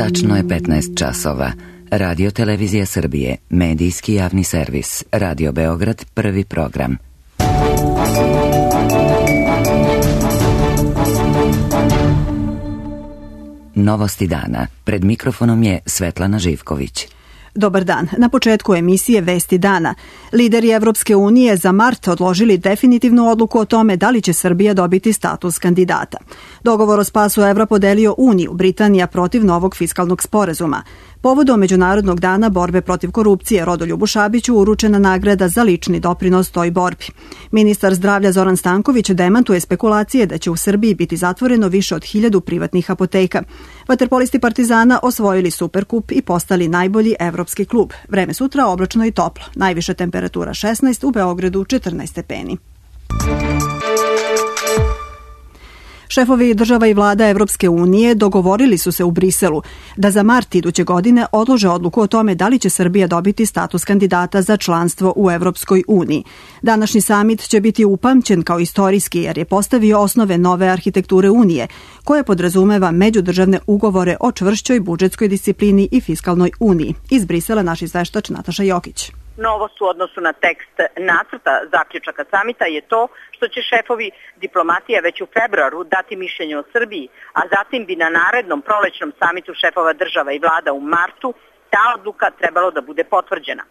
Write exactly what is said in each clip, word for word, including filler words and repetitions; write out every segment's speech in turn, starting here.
Tačno je petnaest časova. Radio Televizija Srbije, medijski javni servis, Radio Beograd, prvi program. Novosti dana. Pred mikrofonom je Svetlana Živković. Dobar dan. Na početku emisije Vesti dana. Lideri Evropske unije za mart odložili definitivnu odluku o tome da li će Srbija dobiti status kandidata. Dogovor o spasu evra podelio Uniju, Britanija protiv novog fiskalnog sporazuma. Povodom Međunarodnog dana borbe protiv korupcije Rodoljubu Šabiću uručena nagrada za lični doprinos toj borbi. Ministar zdravlja Zoran Stanković demantuje spekulacije da će u Srbiji biti zatvoreno više od hiljadu privatnih apoteka. Vaterpolisti Partizana osvojili Superkup i postali najbolji evropski klub. Vreme sutra oblačno i toplo. Najviša temperatura šesnaest, u Beogradu četrnaest stepeni. Šefovi država i vlada Evropske unije dogovorili su se u Briselu da za mart iduće godine odlože odluku o tome da li će Srbija dobiti status kandidata za članstvo u Evropskoj uniji. Današnji samit će biti upamćen kao istorijski jer je postavio osnove nove arhitekture Unije, koje podrazumeva međudržavne ugovore o čvršćoj budžetskoj disciplini i fiskalnoj uniji. Iz Brisela naš izveštač Nataša Jokić. Novost u odnosu na tekst nacrta zaključaka samita je to što će šefovi diplomatije već u februaru dati mišljenje o Srbiji, a zatim bi na narednom prolećnom samitu šefova država i vlada u martu ta odluka trebalo da bude potvrđena.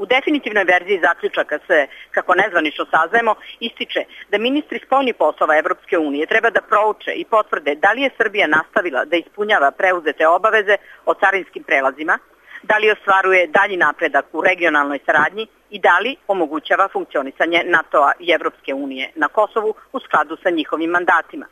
U definitivnoj verziji zaključaka se, kako nezvanično saznajemo, ističe da ministri spoljnih poslova Evropske unije treba da prouče i potvrde da li je Srbija nastavila da ispunjava preuzete obaveze o carinskim prelazima, da li ostvaruje dalji napredak u regionalnoj saradnji i da li omogućava funkcionisanje NATO-a i Evropske unije na Kosovu u skladu sa njihovim mandatima.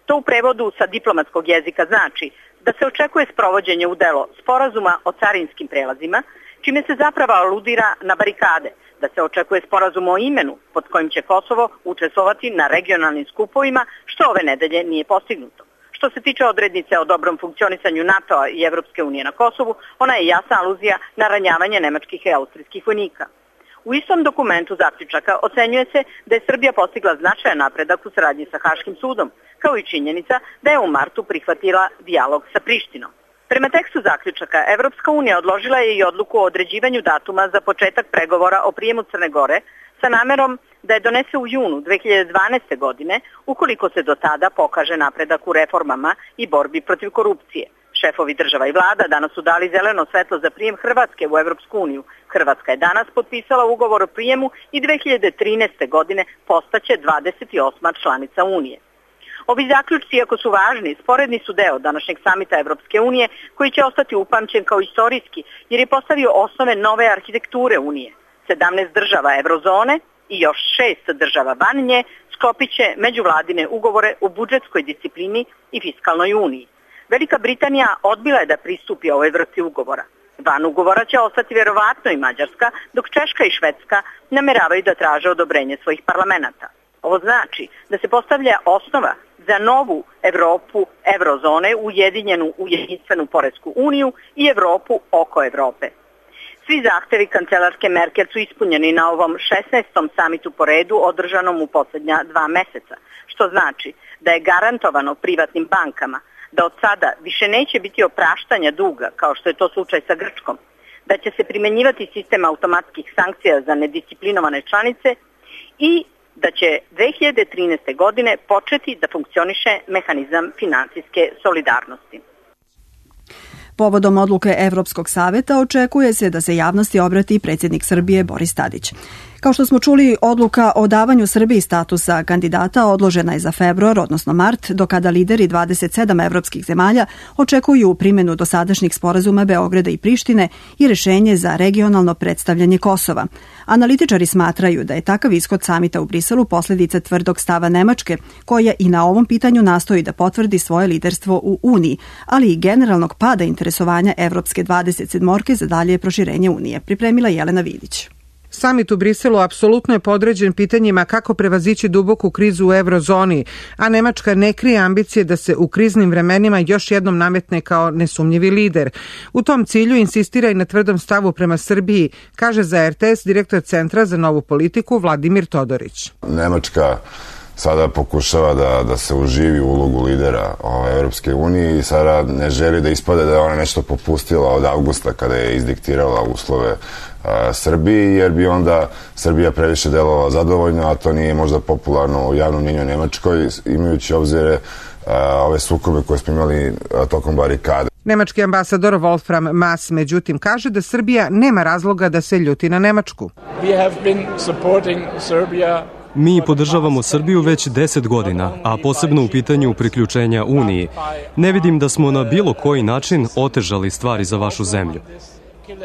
To u prevodu sa diplomatskog jezika znači da se očekuje sprovođenje u delo sporazuma o carinskim prelazima, čime se zapravo aludira na barikade, da se očekuje sporazum o imenu pod kojim će Kosovo učestvovati na regionalnim skupovima, što ove nedelje nije postignuto. Što se tiče odrednice o dobrom funkcionisanju NATO-a i Evropske unije na Kosovu, ona je jasna aluzija na ranjavanje nemačkih i austrijskih vojnika. U istom dokumentu zaključaka ocenjuje se da je Srbija postigla značajan napredak u saradnji sa Haškim sudom, kao i činjenica da je u martu prihvatila dijalog sa Prištinom. Prema tekstu zaključaka, Evropska unija odložila je i odluku o određivanju datuma za početak pregovora o prijemu Crne Gore sa namerom da je donese u junu dve hiljade dvanaeste. godine, ukoliko se do tada pokaže napredak u reformama i borbi protiv korupcije. Šefovi država i vlada danas su dali zeleno svetlo za prijem Hrvatske u Evropsku uniju. Hrvatska je danas potpisala ugovor o prijemu i dve hiljade trinaeste. godine postaće dvadeset osma članica Unije. Ovi zaključci, iako su važni, sporedni su deo današnjeg samita Evropske unije, koji će ostati upamćen kao istorijski, jer je postavio osnove nove arhitekture Unije. sedamnaest država Evrozone i još šest država van nje sklopit će međuvladine ugovore o budžetskoj disciplini i fiskalnoj uniji. Velika Britanija odbila je da pristupi ovoj vrsti ugovora. Van ugovora će ostati vjerovatno i Mađarska, dok Češka i Švedska nameravaju da traže odobrenje svojih parlamenata. Ovo znači da se postavlja osnova za novu Evropu Evrozone, ujedinjenu u jedinstvenu poresku uniju i Evropu oko Evrope. Svi zahtevi kancelarske Merkel su ispunjeni na ovom šesnaestom samitu po redu održanom u posljednja dva meseca, što znači da je garantovano privatnim bankama da od sada više neće biti opraštanja duga, kao što je to slučaj sa Grčkom, da će se primjenjivati sistem automatskih sankcija za nedisciplinovane članice i da će dve hiljade trinaeste. godine početi da funkcioniše mehanizam finansijske solidarnosti. Povodom odluke Evropskog saveta očekuje se da se javnosti obrati predsjednik Srbije Boris Tadić. Kao što smo čuli, odluka o davanju Srbiji statusa kandidata odložena je za februar, odnosno mart, do kada lideri dvadeset sedam evropskih zemalja očekuju primjenu dosadašnjih sporazuma Beograda i Prištine i rješenje za regionalno predstavljanje Kosova. Analitičari smatraju da je takav ishod samita u Briselu posljedica tvrdog stava Nemačke, koja i na ovom pitanju nastoji da potvrdi svoje liderstvo u Uniji, ali i generalnog pada interesovanja Evropske dvadeset sedmorke za dalje proširenje Unije. Pripremila Jelena Vidić. Samit u Briselu apsolutno je podređen pitanjima kako prevazići duboku krizu u eurozoni, a Nemačka ne krije ambicije da se u kriznim vremenima još jednom nametne kao nesumnjivi lider. U tom cilju insistira i na tvrdom stavu prema Srbiji, kaže za er te es direktor Centra za novu politiku Vladimir Todorić. Nemačka sada pokušava da, da se uživi u ulogu lidera ove, Evropske unije i sada ne želi da ispade da je ona nešto popustila od avgusta kada je izdiktirala uslove a, Srbiji, jer bi onda Srbija previše delovala zadovoljno, a to nije možda popularno u javnom mnjenju Nemačkoj, imajući obzire a, ove sukobe koje smo imali a, tokom barikade. Nemački ambasador Wolfram Maas međutim kaže da Srbija nema razloga da se ljuti na Nemačku. Mi podržavamo Srbiju već deset godina, a posebno u pitanju priključenja Uniji. Ne vidim da smo na bilo koji način otežali stvari za vašu zemlju.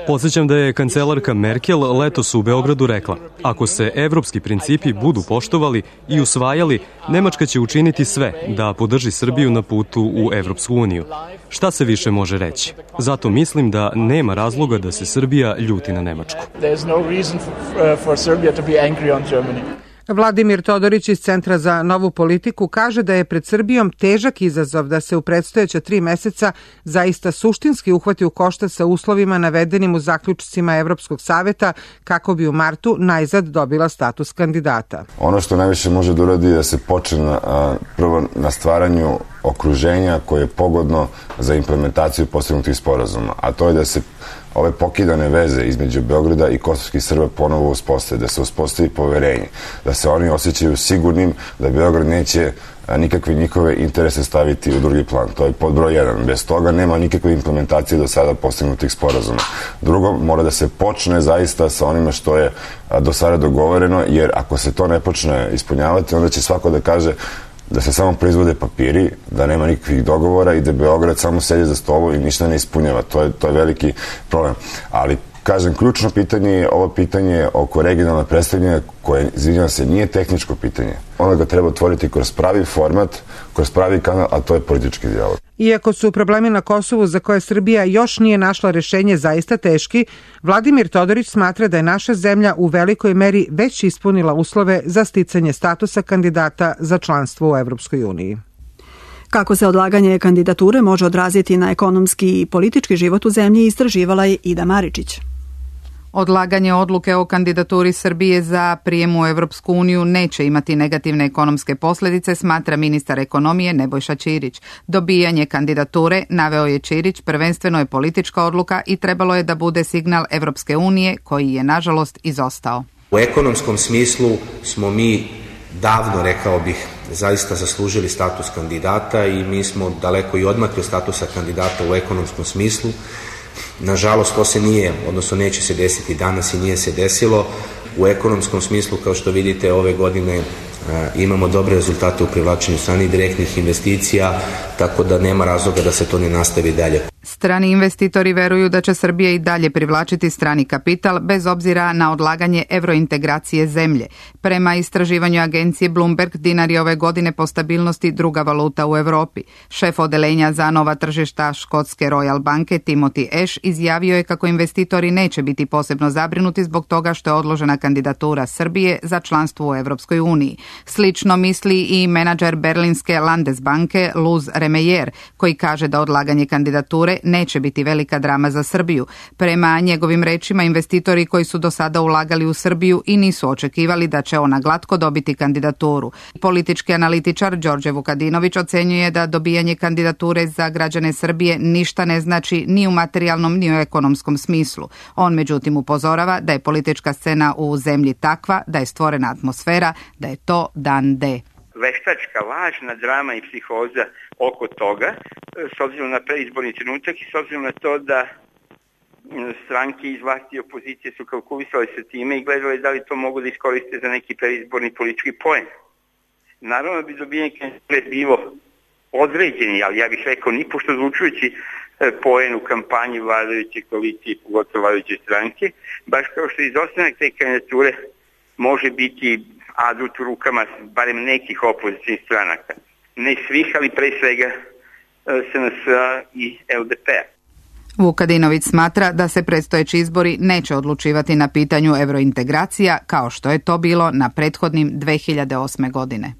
Podsjećam da je kancelarka Merkel letos u Beogradu rekla: ako se evropski principi budu poštovali i usvajali, Nemačka će učiniti sve da podrži Srbiju na putu u Evropsku uniju. Šta se više može reći? Zato mislim da nema razloga da se Srbija ljuti na Nemačku. Vladimir Todorić iz Centra za novu politiku kaže da je pred Srbijom težak izazov da se u predstojeća tri meseca zaista suštinski uhvati u koštac sa uslovima navedenim u zaključcima Evropskog saveta kako bi u martu najzad dobila status kandidata. Ono što najviše može da uradi je da se počne na, a, prvo na stvaranju okruženja koje je pogodno za implementaciju postignutih sporazuma, a to je da se ove pokidane veze između Beograda i kosovskih Srba ponovo uspostave, da se uspostavi poverenje, da se oni osjećaju sigurnim da Beograd neće nikakve njihove interese staviti u drugi plan. To je pod broj jedan. Bez toga nema nikakve implementacije do sada postignutih sporazuma. Drugo, mora da se počne zaista sa onime što je do sada dogovoreno, jer ako se to ne počne ispunjavati, onda će svako da kaže da se samo proizvode papiri, da nema nikakvih dogovora i da Beograd samo sedi za stolu i ništa ne ispunjava. To je, to je veliki problem. Ali, kažem, ključno pitanje je ovo pitanje oko regionalne predstavljanja koje, izvinjavam se, nije tehničko pitanje. Ono ga treba otvoriti kroz pravi format, kroz pravi kanal, a to je politički dijalog. Iako su problemi na Kosovu za koje Srbija još nije našla rešenje zaista teški, Vladimir Todorić smatra da je naša zemlja u velikoj meri već ispunila uslove za sticanje statusa kandidata za članstvo u Evropskoj uniji. Kako se odlaganje kandidature može odraziti na ekonomski i politički život u zemlji, istraživala je Ida Maričić. Odlaganje odluke o kandidaturi Srbije za prijem u Evropsku uniju neće imati negativne ekonomske posljedice, smatra ministar ekonomije Nebojša Ćirić. Dobijanje kandidature, naveo je Ćirić, prvenstveno je politička odluka i trebalo je da bude signal Evropske unije koji je nažalost izostao. U ekonomskom smislu smo mi davno, rekao bih, zaista zaslužili status kandidata i mi smo daleko i odmakli od statusa kandidata u ekonomskom smislu. Nažalost, to se nije, odnosno neće se desiti danas i nije se desilo. U ekonomskom smislu, kao što vidite, ove godine imamo dobre rezultate u privlačenju stranih direktnih investicija, tako da nema razloga da se to ne nastavi dalje. Strani investitori veruju da će Srbija i dalje privlačiti strani kapital bez obzira na odlaganje evrointegracije zemlje. Prema istraživanju agencije Bloomberg, dinar je ove godine po stabilnosti druga valuta u Evropi. Šef odelenja za nova tržišta škotske Royal banke Timothy Ash izjavio je kako investitori neće biti posebno zabrinuti zbog toga što je odložena kandidatura Srbije za članstvo u Evropskoj uniji. Slično misli i menadžer berlinske Landesbanke Luz Remejer, koji kaže da odlaganje kandidature neće biti velika drama za Srbiju. Prema njegovim rečima, investitori koji su do sada ulagali u Srbiju i nisu očekivali da će ona glatko dobiti kandidaturu. Politički analitičar Đorđe Vukadinović ocenjuje da dobijanje kandidature za građane Srbije ništa ne znači ni u materijalnom ni u ekonomskom smislu. On međutim upozorava da je politička scena u zemlji takva, da je stvorena atmosfera, da je to dan D. Veštačka, lažna drama i psihoza oko toga, s obzirom na preizborni trenutak i s obzirom na to da stranke iz vlasti i opozicije su kalkulisali sa time i gledali da li to mogu da iskoriste za neki preizborni politički poen. Naravno bi dobijanje kandidature bilo određeni, ali ja bih rekao ni pošto zvučujući poen u kampanji vladajuće koalicije, pogotovo vladajuće stranke, baš kao što izostanak te kandidature može biti adut u rukama barem nekih opozicijnih stranaka. Ne svih, ali pre svega S N S-a i L D P-a. Vukadinović smatra da se predstojeći izbori neće odlučivati na pitanju evrointegracija kao što je to bilo na prethodnim dve hiljade osme. godine.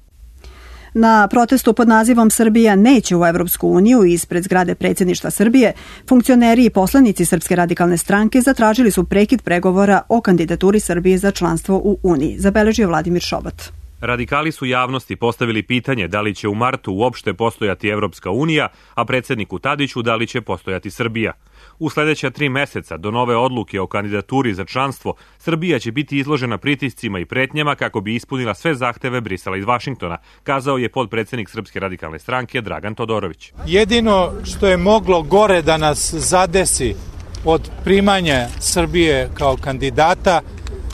Na protestu pod nazivom Srbija neće u Evropsku uniju ispred zgrade predsjedništva Srbije, funkcioneri i poslanici Srpske radikalne stranke zatražili su prekid pregovora o kandidaturi Srbije za članstvo u Uniji, zabeležio Vladimir Šobat. Radikali su javnosti postavili pitanje da li će u martu uopšte postojati Evropska unija, a predsjedniku Tadiću da li će postojati Srbija. U sledeća tri meseca do nove odluke o kandidaturi za članstvo, Srbija će biti izložena pritiscima i pretnjama kako bi ispunila sve zahteve Brisela iz Vašingtona, kazao je podpredsjednik Srpske radikalne stranke Dragan Todorović. Jedino što je moglo gore da nas zadesi od primanja Srbije kao kandidata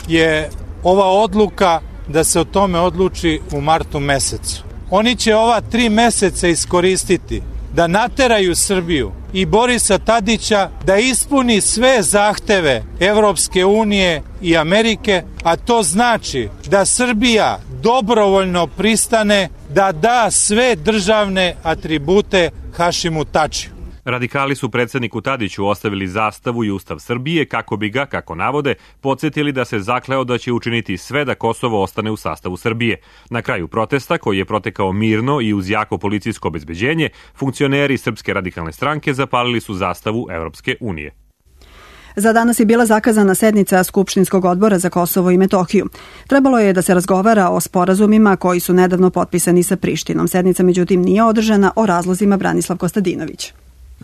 je ova odluka da se o tome odluči u martu mesecu. Oni će ova tri meseca iskoristiti da nateraju Srbiju i Borisa Tadića da ispuni sve zahteve Evropske unije i Amerike, a to znači da Srbija dobrovoljno pristane da da sve državne atribute Hašimu Tačiju. Radikali su predsjedniku Tadiću ostavili zastavu i Ustav Srbije kako bi ga, kako navode, podsjetili da se zakleo da će učiniti sve da Kosovo ostane u sastavu Srbije. Na kraju protesta, koji je protekao mirno i uz jako policijsko obezbeđenje, funkcioneri Srpske radikalne stranke zapalili su zastavu Evropske unije. Za danas je bila zakazana sednica Skupštinskog odbora za Kosovo i Metohiju. Trebalo je da se razgovara o sporazumima koji su nedavno potpisani sa Prištinom. Sednica međutim nije održana, o razlozima Branislav Kostadinović.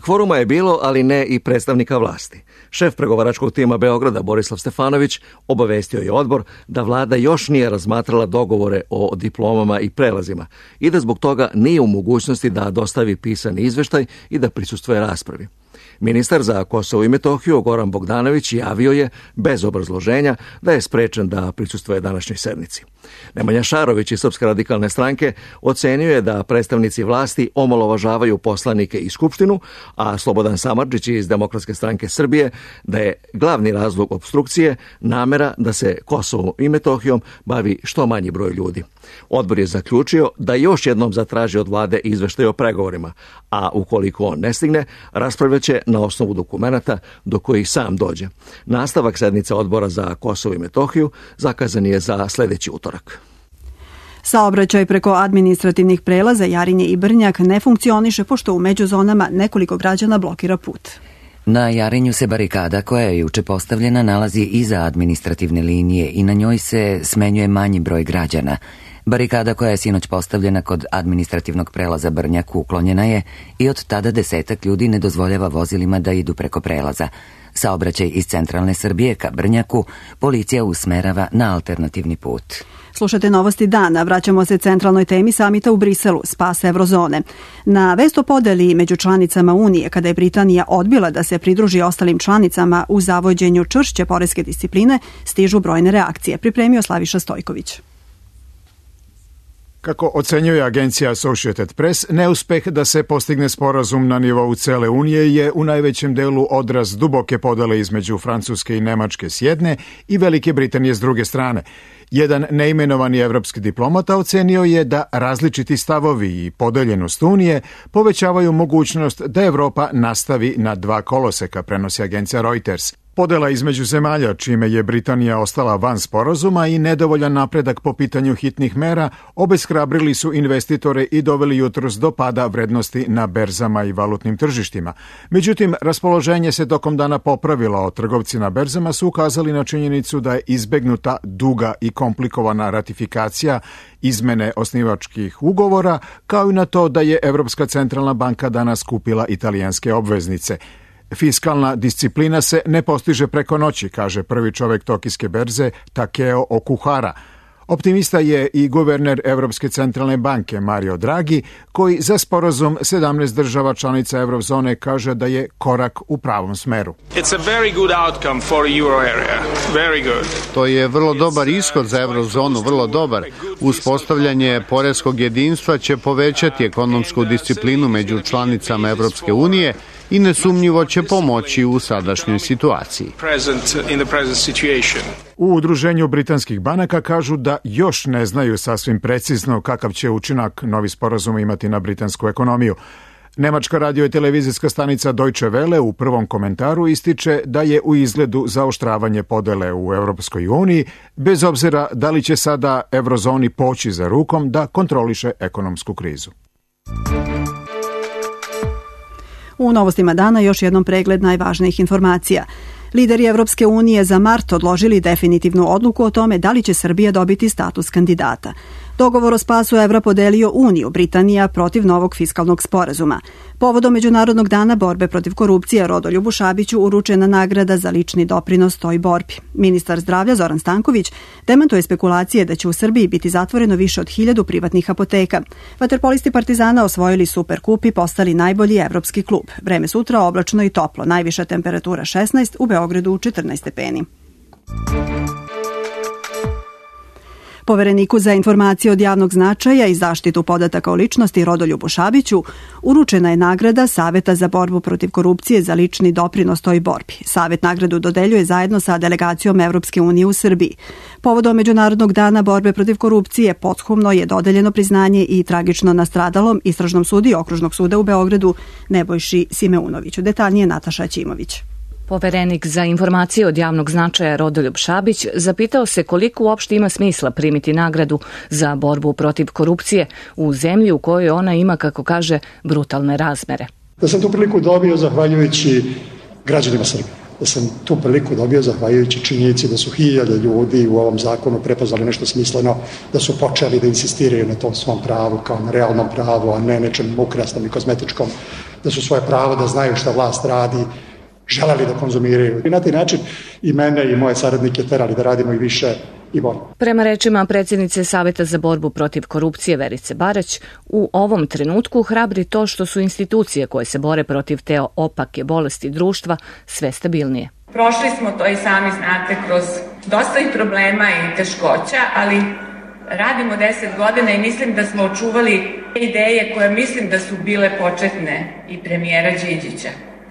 Kvoruma je bilo, ali ne i predstavnika vlasti. Šef pregovaračkog tima Beograda Borislav Stefanović obavestio je odbor da vlada još nije razmatrala dogovore o diplomama i prelazima i da zbog toga nije u mogućnosti da dostavi pisani izveštaj i da prisustvuje raspravi. Ministar za Kosovo i Metohiju Goran Bogdanović javio je, bez obrazloženja, da je sprečen da prisustvuje današnjoj sednici. Nemanja Šarović iz Srpske radikalne stranke ocenio je da predstavnici vlasti omalovažavaju poslanike i Skupštinu, a Slobodan Samardžić iz Demokratske stranke Srbije da je glavni razlog opstrukcije namera da se Kosovom i Metohijom bavi što manji broj ljudi. Odbor je zaključio da još jednom zatraži od vlade izveštaj o pregovorima, a ukoliko on ne stigne, raspravljaće na osnovu dokumenata do kojih sam dođe. Nastavak sednice odbora za Kosovo i Metohiju zakazan je za sledeći utorak. Saobraćaj preko administrativnih prelaza Jarinje i Brnjak ne funkcioniše pošto u međuzonama nekoliko građana blokira put. Na Jarinju se barikada koja je juče postavljena nalazi iza administrativne linije i na njoj se smenjuje manji broj građana. Barikada koja je sinoć postavljena kod administrativnog prelaza Brnjak uklonjena je i od tada desetak ljudi ne dozvoljava vozilima da idu preko prelaza. Saobraćaj iz centralne Srbije ka Brnjaku policija usmerava na alternativni put. Slušate novosti dana, vraćamo se centralnoj temi samita u Briselu, spas Evrozone. Na vest o podeli među članicama Unije, kada je Britanija odbila da se pridruži ostalim članicama u zavođenju čvršće poreske discipline, stižu brojne reakcije, pripremio Slaviša Stojković. Kako ocenjuje agencija Associated Press, neuspeh da se postigne sporazum na nivou cele Unije je u najvećem delu odraz duboke podele između Francuske i Nemačke s jedne i Velike Britanije s druge strane. Jedan neimenovani evropski diplomata ocenio je da različiti stavovi i podeljenost Unije povećavaju mogućnost da Evropa nastavi na dva koloseka, prenosi agencija Reuters. Podela između zemalja, čime je Britanija ostala van sporazuma i nedovoljan napredak po pitanju hitnih mera, obeshrabrili su investitore i doveli jutros do pada vrednosti na berzama i valutnim tržištima. Međutim, raspoloženje se tokom dana popravilo, a trgovci na berzama su ukazali na činjenicu da je izbegnuta duga i komplikovana ratifikacija izmene osnivačkih ugovora, kao i na to da je Evropska centralna banka danas kupila italijanske obveznice. Fiskalna disciplina se ne postiže preko noći, kaže prvi čovek tokijske berze Takeo Okuhara. Optimista je i guverner Evropske centralne banke Mario Draghi, koji za sporazum sedamnaest država članica Evrozone kaže da je korak u pravom smeru. It's a very good outcome for euro area. Very good. To je vrlo dobar ishod za Evrozonu, vrlo dobar. Uspostavljanje poreskog jedinstva će povećati ekonomsku disciplinu među članicama Evropske unije i nesumnjivo će pomoći u sadašnjoj situaciji. U Udruženju britanskih banaka kažu da još ne znaju sasvim precizno kakav će učinak novi sporazum imati na britansku ekonomiju. Nemačka radio i televizijska stanica Deutsche Welle u prvom komentaru ističe da je u izgledu zaoštravanje podele u Evropskoj uniji, bez obzira da li će sada Evrozoni poći za rukom da kontroliše ekonomsku krizu. U novostima dana još jednom pregled najvažnijih informacija. Lideri Evropske unije za mart odložili definitivnu odluku o tome da li će Srbija dobiti status kandidata. Dogovor o spasu evra podelio Uniju, Britanija protiv novog fiskalnog sporazuma. Povodom Međunarodnog dana borbe protiv korupcije Rodoljubu Šabiću uručena nagrada za lični doprinos toj borbi. Ministar zdravlja Zoran Stanković demantuje spekulacije da će u Srbiji biti zatvoreno više od hiljadu privatnih apoteka. Vaterpolisti Partizana osvojili Superkup i postali najbolji evropski klub. Vreme sutra oblačno i toplo, najviša temperatura šesnaest, u Beogradu četrnaest stepeni. Povereniku za informacije od javnog značaja i zaštitu podataka o ličnosti Rodoljubu Šabiću uručena je nagrada Saveta za borbu protiv korupcije za lični doprinos toj borbi. Savet nagradu dodeljuje zajedno sa delegacijom Evropske unije u Srbiji. Povodom Međunarodnog dana borbe protiv korupcije pothumno je dodeljeno priznanje i tragično nastradalom istražnom sudiji Okružnog suda u Beogradu Nebojši Simeunoviću. Detaljnije Nataša Ćimović. Poverenik za informacije od javnog značaja Rodoljub Šabić zapitao se koliko uopšte ima smisla primiti nagradu za borbu protiv korupcije u zemlji u kojoj ona ima, kako kaže, brutalne razmere. Da sam tu priliku dobio zahvaljujući građanima Srbije. Da sam tu priliku dobio zahvaljujući činjenici da su hiljade ljudi u ovom zakonu prepoznali nešto smisleno, da su počeli da insistiraju na tom svom pravu kao na realnom pravu, a ne nečem ukrasnom i kozmetičkom, da su svoje pravo da znaju šta vlast radi, želeli da konzumiraju. I na taj način i mene i moje saradnike terali da radimo i više i bolje. Prema rečima predsjednice Saveta za borbu protiv korupcije Verice Barać, u ovom trenutku hrabri to što su institucije koje se bore protiv te opake bolesti društva sve stabilnije. Prošli smo to i sami znate kroz dosta i problema i teškoća, ali radimo deset godina i mislim da smo očuvali ideje koje mislim da su bile početne i premijera Đinđića.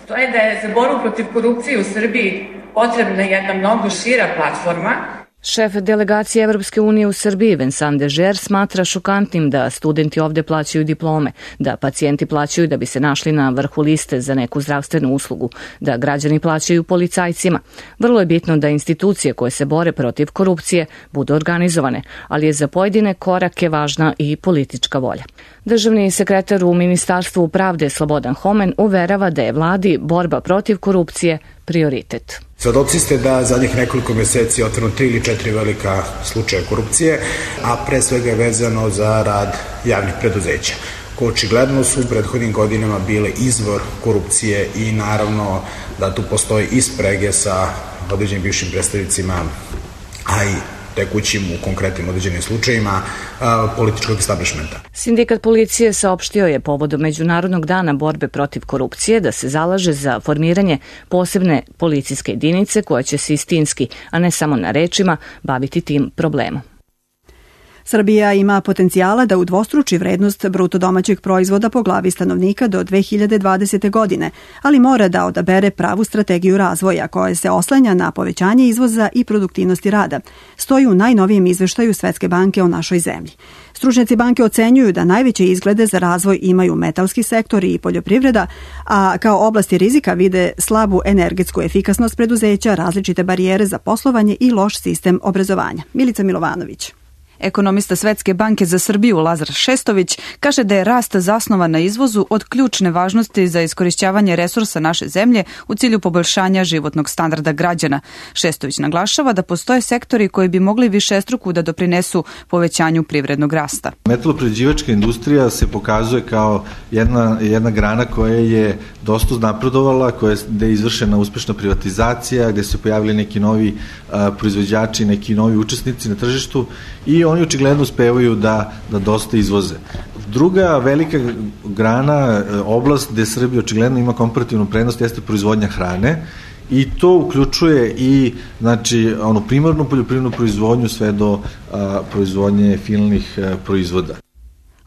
To je da je za borbu protiv korupcije u Srbiji potrebna jedna mnogo šira platforma. Šef delegacije Evropske unije u Srbiji Vincent Dežer smatra šokantnim da studenti ovde plaćaju diplome, da pacijenti plaćaju da bi se našli na vrhu liste za neku zdravstvenu uslugu, da građani plaćaju policajcima. Vrlo je bitno da institucije koje se bore protiv korupcije budu organizovane, ali je za pojedine korake važna i politička volja. Državni sekretar u Ministarstvu pravde Slobodan Homen uverava da je vladi borba protiv korupcije prioritet. Svedoci ste da zadnjih nekoliko meseci je otvoreno tri ili četiri velika slučaja korupcije, a pre svega je vezano za rad javnih preduzeća, koje očigledno su u prethodnim godinama bile izvor korupcije i naravno da tu postoji i sprege sa određenim bivšim predstavnicima, a i tekućim u konkretnim određenim slučajima političkog establishmenta. Sindikat policije saopštio je povodom Međunarodnog dana borbe protiv korupcije da se zalaže za formiranje posebne policijske jedinice koja će se istinski, a ne samo na rečima, baviti tim problemom. Srbija ima potencijala da udvostruči vrednost bruto domaćeg proizvoda po glavi stanovnika do dve hiljade dvadesete. godine, ali mora da odabere pravu strategiju razvoja koja se oslanja na povećanje izvoza i produktivnosti rada, stoji u najnovijem izveštaju Svetske banke o našoj zemlji. Stručnjaci banke ocenjuju da najveće izglede za razvoj imaju metalski sektor i poljoprivreda, a kao oblasti rizika vide slabu energetsku efikasnost preduzeća, različite barijere za poslovanje i loš sistem obrazovanja. Milica Milovanović. Ekonomista Svetske banke za Srbiju Lazar Šestović kaže da je rast zasnovan na izvozu od ključne važnosti za iskorišćavanje resursa naše zemlje u cilju poboljšanja životnog standarda građana. Šestović naglašava da postoje sektori koji bi mogli višestruku da doprinesu povećanju privrednog rasta. Metaloprerađivačka industrija se pokazuje kao jedna, jedna grana koja je dosta napredovala, koja je, gde je izvršena uspešna privatizacija, gde se pojavili neki novi a, proizvođači, neki novi učesnici na tržištu i oni očigledno uspevaju da, da dosta izvoze. Druga velika grana, oblast gde Srbija očigledno ima komparativnu prednost jeste proizvodnja hrane i to uključuje i znači, onu primarnu poljoprivrednu proizvodnju sve do a, proizvodnje finalnih a, proizvoda.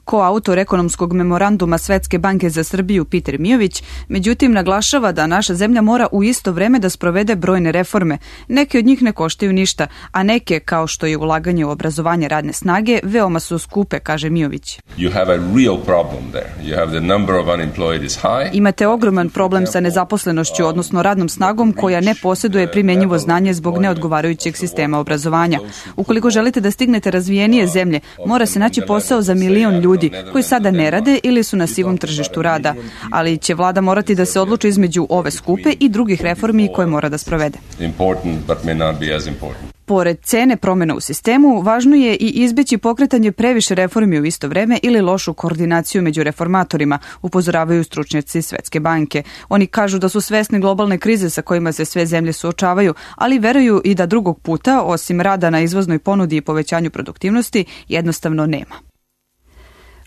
Koautor ekonomskog memoranduma Svetske banke za Srbiju Peter Mijović, međutim naglašava da naša zemlja mora u isto vreme da sprovede brojne reforme. Neke od njih ne koštaju ništa, a neke, kao što je ulaganje u obrazovanje radne snage, veoma su skupe, kaže Mijović. Imate ogroman problem sa nezaposlenošću, odnosno radnom snagom koja ne posjeduje primjenjivo znanje zbog neodgovarajućeg sistema obrazovanja. Ukoliko želite da stignete razvijenije zemlje, mora se naći posao za milion ljudi ljudi koji sada ne rade ili su na sivom tržištu rada, ali će vlada morati da se odluči između ove skupe i drugih reformi koje mora da sprovede. Pored cene promjena u sistemu, važno je i izbeći pokretanje previše reformi u isto vreme ili lošu koordinaciju među reformatorima, upozoravaju stručnjaci Svetske banke. Oni kažu da su svesni globalne krize sa kojima se sve zemlje suočavaju, ali veruju i da drugog puta, osim rada na izvoznoj ponudi i povećanju produktivnosti, jednostavno nema.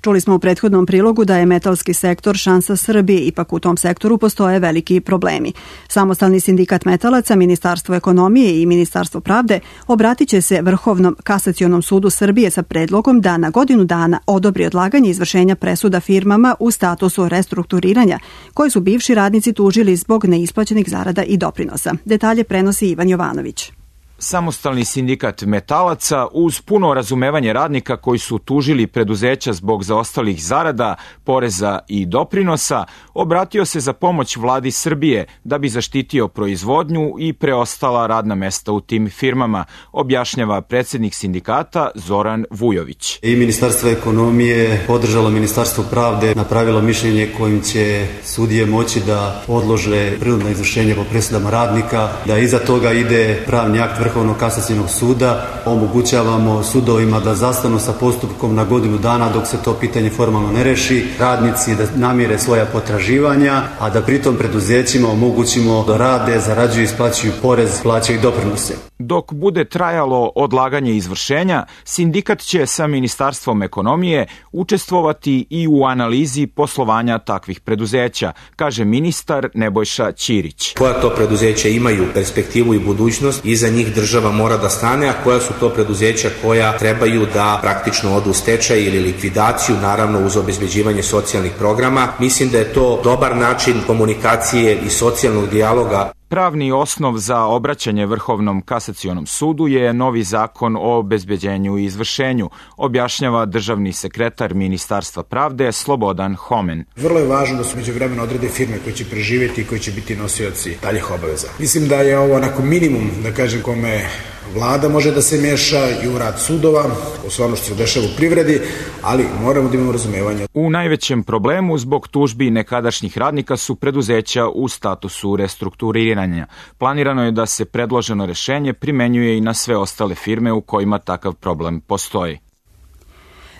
Čuli smo u prethodnom prilogu da je metalski sektor šansa Srbije, ipak u tom sektoru postoje veliki problemi. Samostalni sindikat metalaca, Ministarstvo ekonomije i Ministarstvo pravde obratit će se Vrhovnom kasacionom sudu Srbije sa predlogom da na godinu dana odobri odlaganje izvršenja presuda firmama u statusu restrukturiranja, koje su bivši radnici tužili zbog neisplaćenih zarada i doprinosa. Detalje prenosi Ivan Jovanović. Samostalni sindikat metalaca uz puno razumevanje radnika koji su tužili preduzeća zbog zaostalih zarada, poreza i doprinosa, obratio se za pomoć vladi Srbije da bi zaštitio proizvodnju i preostala radna mesta u tim firmama, objašnjava predsjednik sindikata Zoran Vujović. I Ministarstvo ekonomije podržalo Ministarstvo pravde, napravilo mišljenje kojim će sudije moći da odlože prinudno izvršenje po presudama radnika, da iza toga ide pravni akt Vrhovnog kasacionog suda. Omogućavamo sudovima da zastanu sa postupkom na godinu dana dok se to pitanje formalno ne reši, radnici da namire svoja potraživanja, a da pritom preduzećima omogućimo da rade, zarađuju, isplaćuju porez, plaćaju doprinose. Dok bude trajalo odlaganje izvršenja, sindikat će sa Ministarstvom ekonomije učestvovati i u analizi poslovanja takvih preduzeća, kaže ministar Nebojša Ćirić. Koja to preduzeća imaju perspektivu i budućnost, iza njih država mora da stane, a koja su to preduzeća koja trebaju da praktično odu u stečaj ili likvidaciju, naravno uz obezbeđivanje socijalnih programa. Mislim da je to dobar način komunikacije i socijalnog dijaloga. Pravni osnov za obraćanje Vrhovnom kasacionom sudu je novi zakon o obezbeđenju i izvršenju, objašnjava državni sekretar Ministarstva pravde Slobodan Homen. Vrlo je važno da su međuvremeno odrede firme koje će preživjeti i koji će biti nosioci daljih obaveza. Mislim da je ovo onako minimum, da kažem, kome vlada može da se meša i u rad sudova, u sve ono što se dešava u privredi, ali moramo da imamo razumevanje. U najvećem problemu zbog tužbi nekadašnjih radnika su preduzeća u statusu restrukturiranja. Planirano je da se predloženo rešenje primenjuje i na sve ostale firme u kojima takav problem postoji.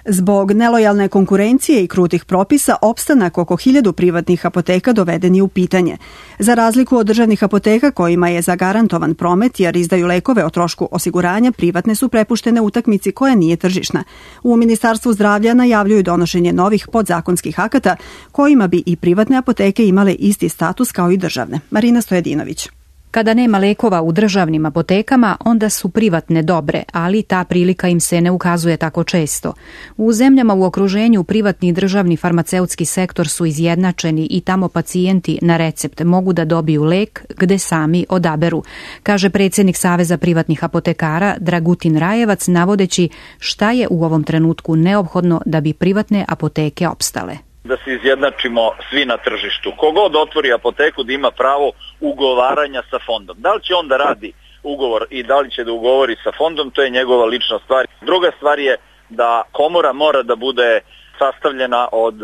Zbog nelojalne konkurencije i krutih propisa, opstanak oko hiljadu privatnih apoteka doveden je u pitanje. Za razliku od državnih apoteka kojima je zagarantovan promet jer izdaju lekove o trošku osiguranja, privatne su prepuštene utakmici koja nije tržišna. U Ministarstvu zdravlja najavljuju donošenje novih podzakonskih akata kojima bi i privatne apoteke imale isti status kao i državne. Marina Stojadinović. Kada nema lekova u državnim apotekama, onda su privatne dobre, ali ta prilika im se ne ukazuje tako često. U zemljama u okruženju privatni i državni farmaceutski sektor su izjednačeni i tamo pacijenti na recept mogu da dobiju lek gde sami odaberu, kaže predsjednik Saveza privatnih apotekara Dragutin Rajevac, navodeći šta je u ovom trenutku neophodno da bi privatne apoteke opstale. Da se izjednačimo svi na tržištu. Kogod otvori apoteku da ima pravo ugovaranja sa fondom. Da li će on da radi ugovor i da li će da ugovori sa fondom, to je njegova lična stvar. Druga stvar je da komora mora da bude sastavljena od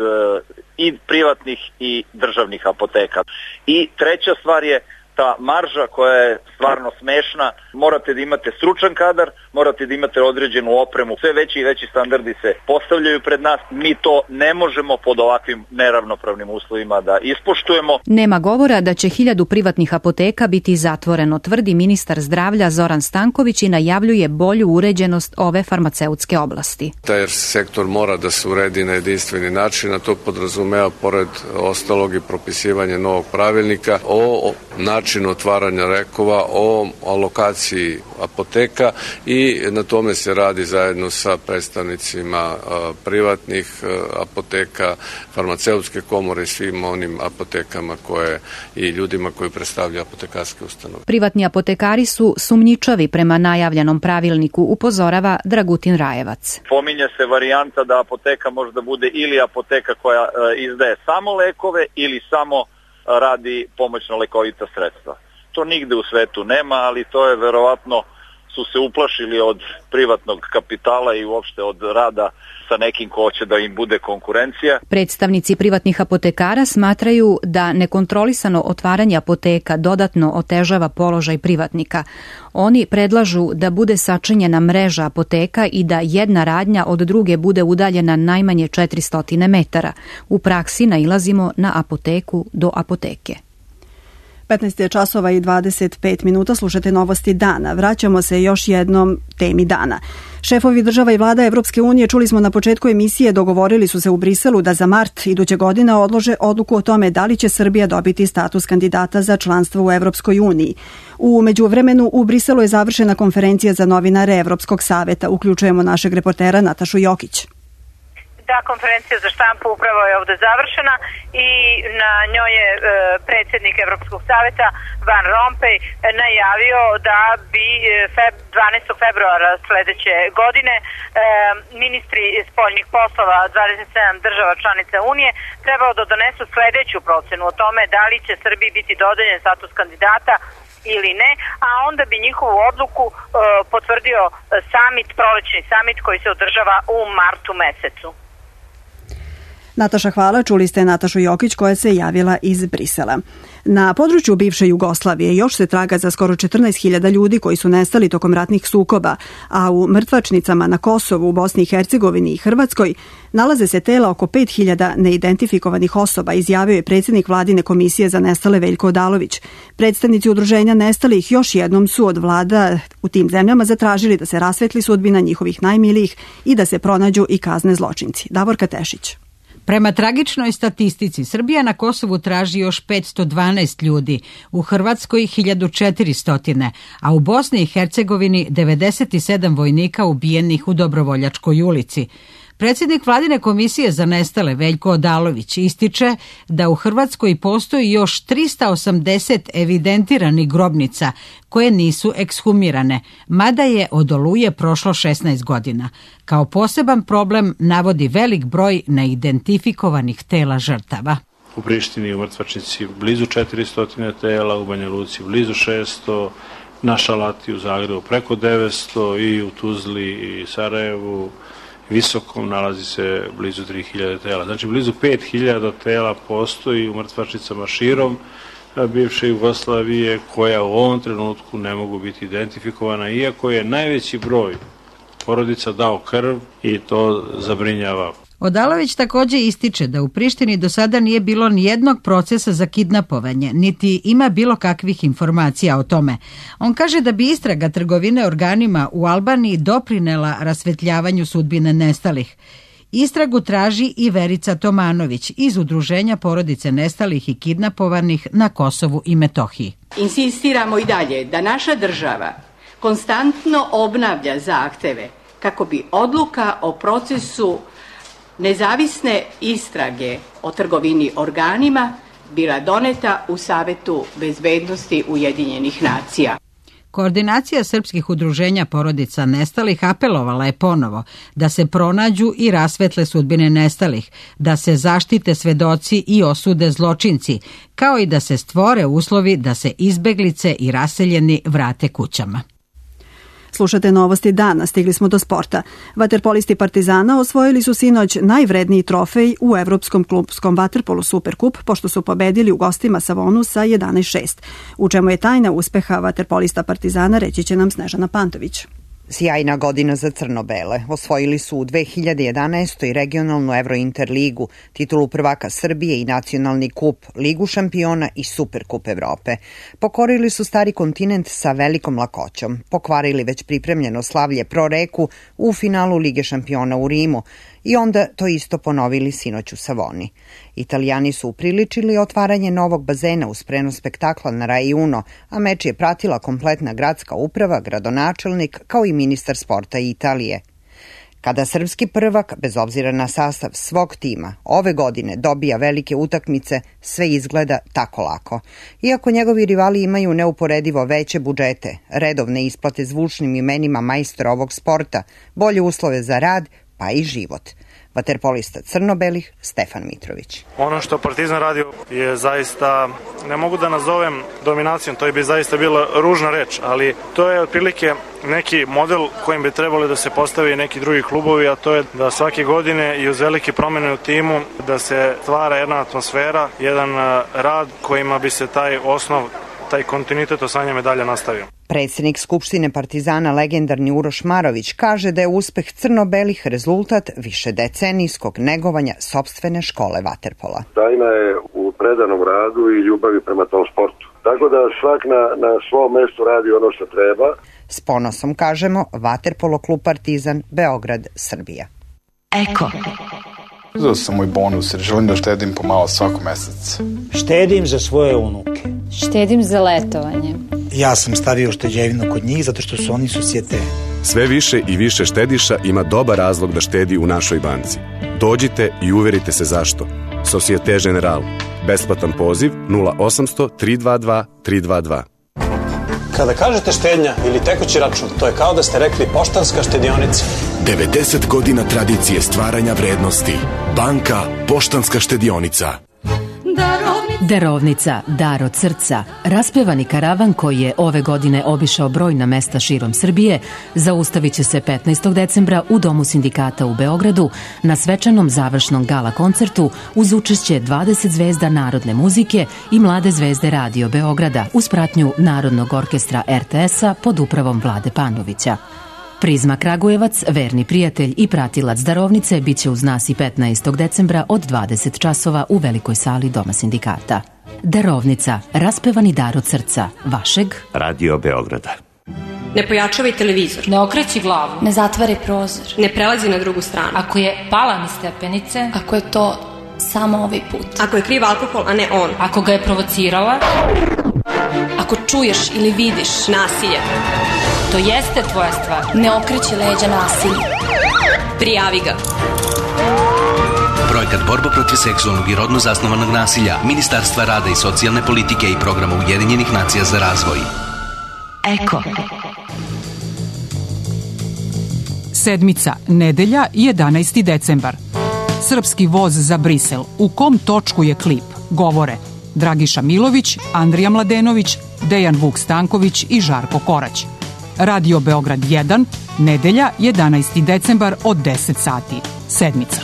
i privatnih i državnih apoteka. I treća stvar je ta marža koja je stvarno smešna. Morate da imate stručan kadar, morate da imate određenu opremu. Sve veći i veći standardi se postavljaju pred nas. Mi to ne možemo pod ovakvim neravnopravnim uslovima da ispoštujemo. Nema govora da će hiljadu privatnih apoteka biti zatvoreno, tvrdi ministar zdravlja Zoran Stanković i najavljuje bolju uređenost ove farmaceutske oblasti. Taj sektor mora da se uredi na jedinstveni način, a to podrazumeva pored ostalog i propisivanje novog pravilnika o načinu otvaranja lekova, o alokaciji apoteka i na tome se radi zajedno sa predstavnicima privatnih apoteka, farmaceutske komore i svim onim apotekama koje i ljudima koji predstavljaju apotekarske ustanove. Privatni apotekari su sumnjičavi prema najavljenom pravilniku, upozorava Dragutin Rajevac. Pominje se varijanta da apoteka može da bude ili apoteka koja izdaje samo lekove ili samo radi pomoćno lekovita sredstva. To nigde u svetu nema, ali to je verovatno su se uplašili od privatnog kapitala i uopšte od rada sa nekim ko će da im bude konkurencija. Predstavnici privatnih apotekara smatraju da nekontrolisano otvaranje apoteka dodatno otežava položaj privatnika. Oni predlažu da bude sačinjena mreža apoteka i da jedna radnja od druge bude udaljena najmanje četiristo metara. U praksi nailazimo na apoteku do apoteke. petnaest je časova i dvadeset pet minuta, slušate novosti dana. Vraćamo se još jednom temi dana. Šefovi država i vlada Evropske unije, čuli smo na početku emisije, dogovorili su se u Briselu da za mart iduće godine odlože odluku o tome da li će Srbija dobiti status kandidata za članstvo u Evropskoj uniji. U međuvremenu u Briselu je završena konferencija za novinare Evropskog saveta. Uključujemo našeg reportera Natašu Jokić. Da, konferencija za štampu upravo je ovde završena i na njoj je e, predsjednik Evropskog saveta Van Rompuy najavio da bi feb, dvanaestog februara sledeće godine e, ministri spoljnih poslova dvadeset sedam država članica Unije trebao da donesu sledeću procenu o tome da li će Srbiji biti dodeljen status kandidata ili ne, a onda bi njihovu odluku e, potvrdio samit, prolećni samit koji se održava u martu mesecu. Nataša, hvala. Čuli ste Natašu Jokić koja se javila iz Brisela. Na području bivše Jugoslavije još se traga za skoro četrnaest hiljada ljudi koji su nestali tokom ratnih sukoba, a u mrtvačnicama na Kosovu, u Bosni i Hercegovini i Hrvatskoj nalaze se tela oko pet hiljada neidentifikovanih osoba, izjavio je predsjednik Vladine komisije za nestale Veljko Odalović. Predstavnici udruženja nestalih još jednom su od vlada u tim zemljama zatražili da se rasvetli sudbina njihovih najmilijih i da se pronađu i kazne zločinci. Davorka Tešić. Prema tragičnoj statistici, Srbija na Kosovu traži još petsto dvanaest ljudi, u Hrvatskoj hiljadu četiristo, a u Bosni i Hercegovini devedeset sedam vojnika ubijenih u Dobrovoljačkoj ulici. Predsjednik Vladine komisije za nestale Veljko Odalović ističe da u Hrvatskoj postoji još trista osamdeset evidentiranih grobnica koje nisu ekshumirane, mada je od Oluje prošlo šesnaest godina. Kao poseban problem navodi velik broj neidentifikovanih tela žrtava. U Prištini u mrtvačnici blizu četiristo tela, u Banja Luci blizu šesto, na Šalati u Zagrebu preko devetsto i u Tuzli i Sarajevu Visokom nalazi se blizu tri hiljade tela. Znači blizu pet hiljada tela postoji u mrtvačnicama širom bivše Jugoslavije koja u ovom trenutku ne mogu biti identifikovana, iako je najveći broj porodica dao krv i to zabrinjava. Odalović također ističe da u Prištini do sada nije bilo ni jednog procesa za kidnapovanje, niti ima bilo kakvih informacija o tome. On kaže da bi istraga trgovine organima u Albaniji doprinela rasvetljavanju sudbine nestalih. Istragu traži i Verica Tomanović iz Udruženja porodice nestalih i kidnapovanih na Kosovu i Metohiji. Insistiramo i dalje da naša država konstantno obnavlja zahteve kako bi odluka o procesu nezavisne istrage o trgovini organima bila doneta u Savetu bezbednosti Ujedinjenih nacija. Koordinacija srpskih udruženja porodica nestalih apelovala je ponovo da se pronađu i rasvetle sudbine nestalih, da se zaštite svedoci i osude zločinci, kao i da se stvore uslovi da se izbeglice i raseljeni vrate kućama. Slušate novosti dana, stigli smo do sporta. Vaterpolisti Partizana osvojili su sinoć najvredniji trofej u Evropskom klubskom vaterpolu Superkup, pošto su pobedili u gostima Savonu sa jedanaest šest. U čemu je tajna uspeha vaterpolista Partizana, reći će nam Snežana Pantović. Sjajna godina za crno-bele. Osvojili su u dve hiljade jedanaestoj regionalnu Evrointerligu, titulu prvaka Srbije i nacionalni kup, Ligu šampiona i Superkup Evrope. Pokorili su stari kontinent sa velikom lakoćom. Pokvarili već pripremljeno slavlje Pro Reku u finalu Lige šampiona u Rimu i onda to isto ponovili sinoć u Savoni. Italijani su upriličili otvaranje novog bazena uz prenos spektakla na Rai Uno, a meč je pratila kompletna gradska uprava, gradonačelnik kao i ministar sporta Italije. Kada srpski prvak, bez obzira na sastav svog tima, ove godine dobija velike utakmice, sve izgleda tako lako. Iako njegovi rivali imaju neuporedivo veće budžete, redovne isplate zvučnim imenima majstora ovog sporta, bolje uslove za rad, pa i život. Vaterpolista crno-belih Stefan Mitrović. Ono što Partizan radi je zaista, ne mogu da nazovem dominacijom, to bi zaista bila ružna reč, ali to je otprilike neki model kojim bi trebali da se postavi neki drugi klubovi, a to je da svake godine i uz velike promene u timu da se stvara jedna atmosfera, jedan rad kojima bi se taj osnov, taj kontinuitet osvajanja medalja nastavio. Predsednik Skupštine Partizana, legendarni Uroš Marović, kaže da je uspeh crno-belih rezultat višedecenijskog negovanja sopstvene škole vaterpola. Tajna je u predanom radu i ljubavi prema tom sportu. Tako da svak na, na svom mestu radi ono što treba. S ponosom kažemo Vaterpolo klub Partizan, Beograd, Srbija. Eko. Uzeo sam moj bonus jer želim da štedim pomalo svako mesec. Štedim za svoje unuke. Štedim za letovanje. Ja sam stavio šteđevinu kod njih zato što su oni susjete. Sve više i više štediša ima dobar razlog da štedi u našoj banci. Dođite i uverite se zašto. Societe General. Besplatan poziv nula osamsto tri dva dva tri dva dva. Kada kažete štednja ili tekući račun, to je kao da ste rekli Poštanska štedionica. devedeset godina tradicije stvaranja vrednosti. Banka Poštanska štedionica. Darovnica, dar od srca, raspevani karavan koji je ove godine obišao brojna mesta širom Srbije, zaustavit će se petnaestog decembra u Domu sindikata u Beogradu na svečanom završnom gala koncertu uz učešće dvadeset zvezda narodne muzike i mlade zvezde Radio Beograda uz pratnju Narodnog orkestra er te es-a pod upravom Vlade Panovića. Prizma Kragujevac, verni prijatelj i pratilac darovnice, bit će uz nas i petnaestog decembra od dvadeset časova u velikoj sali Doma sindikata. Darovnica, raspevani dar od srca, vašeg Radio Beograda. Ne pojačavaj televizor. Ne okreći glavu. Ne zatvari prozor. Ne prelazi na drugu stranu. Ako je pala niz stepenice. Ako je to samo ovaj put. Ako je kriv alkohol, a ne on. Ako ga je provocirala. Ako čuješ ili vidiš nasilje. To jeste tvoja stvar. Ne okreći leđa nasilju. Prijavi ga. Projekat Borba protiv seksualnog i rodno zasnovanog nasilja Ministarstva rada i socijalne politike i programa Ujedinjenih nacija za razvoj. Eko. Sedmica, nedelja, jedanaesti decembar. Srpski voz za Brisel. U kom točku je klip? Govore Dragiša Milović, Andrija Mladenović, Dejan Vuk Stanković i Žarko Korać. Radio Beograd jedan, nedelja, jedanaesti decembar od deset sati. Sedmica.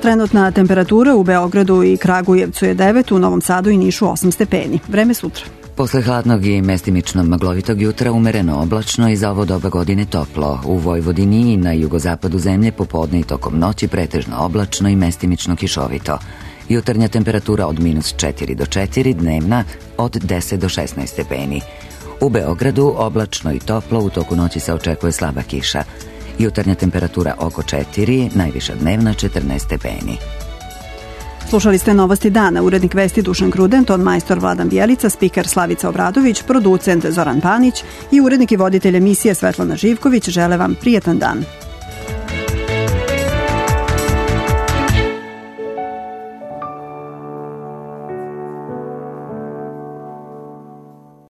Trenutna temperatura u Beogradu i Kragujevcu je devet, u Novom Sadu i Nišu osam stepeni. Vreme sutra. Posle hladnog i mestimično maglovitog jutra umereno oblačno i za ovo doba godine toplo. U Vojvodini i na jugozapadu zemlje popodne i tokom noći pretežno oblačno i mestimično kišovito. Jutarnja temperatura od minus četiri do četiri, dnevna od deset do šesnaest stepeni. U Beogradu oblačno i toplo, u toku noći se očekuje slaba kiša. Jutarnja temperatura oko četiri, najviša dnevna četrnaest stepeni. Slušali ste Novosti dana, urednik vesti Dušan Kruden, ton majstor Vladan Bjelica, spiker Slavica Obradović, producent Zoran Panić i urednik i voditelj emisije Svetlana Živković. Žele vam prijetan dan.